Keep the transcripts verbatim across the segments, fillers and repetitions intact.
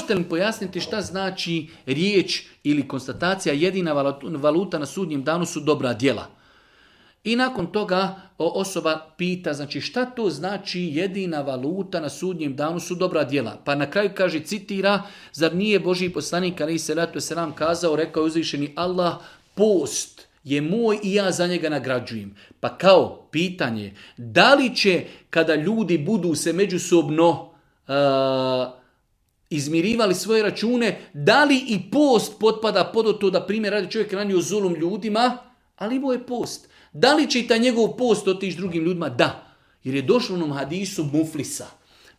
možete li pojasniti šta znači riječ ili konstatacija jedina valuta na sudnjem danu su dobra djela? I nakon toga osoba pita, znači šta to znači jedina valuta na sudnjem danu su dobra djela? Pa na kraju kaže, citira, zar nije Božji poslanik alejhi selatu vesselam kazao, rekao je uzvišeni Allah, post je moj i ja za njega nagrađujem. Pa kao pitanje, da li će kada ljudi budu se međusobno uh, izmirivali svoje račune, da li i post potpada pod to da primjer radi čovjek ranio zulum ljudima, ali imao je post. Da li će i taj njegov post otići drugim ljudima? Da. Jer je došlo u onom hadisu muflisa.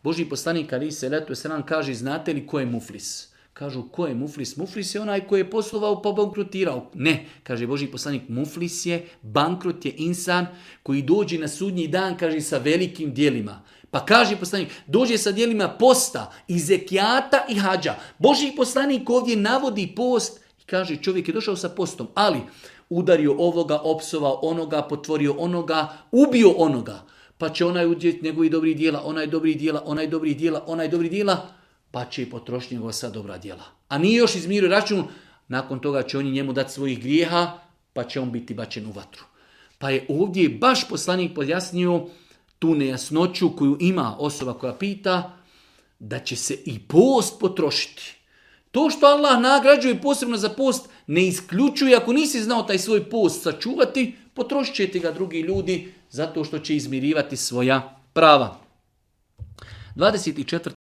Božji poslanik alejhi selatu vesselam kaže, znate li ko je muflis? Kažu, ko je muflis? Muflis je onaj koji je poslovao pa bankrotirao. Ne, kaže Božji poslanik, muflis je, bankrot je insan koji dođe na sudnji dan, kaže, sa velikim djelima. Pa kaže poslanik, dođe sa djelima posta i zekijata i hađa. Božji poslanik ovdje navodi post i kaže, čovjek je došao sa postom, ali udario ovoga, opsovao onoga, potvorio onoga, ubio onoga. Pa će onaj udjeti njegovi dobri dijela, onaj dobri dijela, onaj dobri dijela, onaj dobri dijela, pa će i potrošiti njegova sva dobra djela. A nije još izmirio račun, nakon toga će oni njemu dati svojih grijeha, pa će on biti bačen u vatru. Pa je ovdje baš poslanik pojasnio tu nejasnoću koju ima osoba koja pita, da će se i post potrošiti. To što Allah nagrađuje posebno za post ne isključuje, ako nisi znao taj svoj post sačuvati, potrošit će ti ga drugi ljudi zato što će izmirivati svoja prava. dvadeset četvrta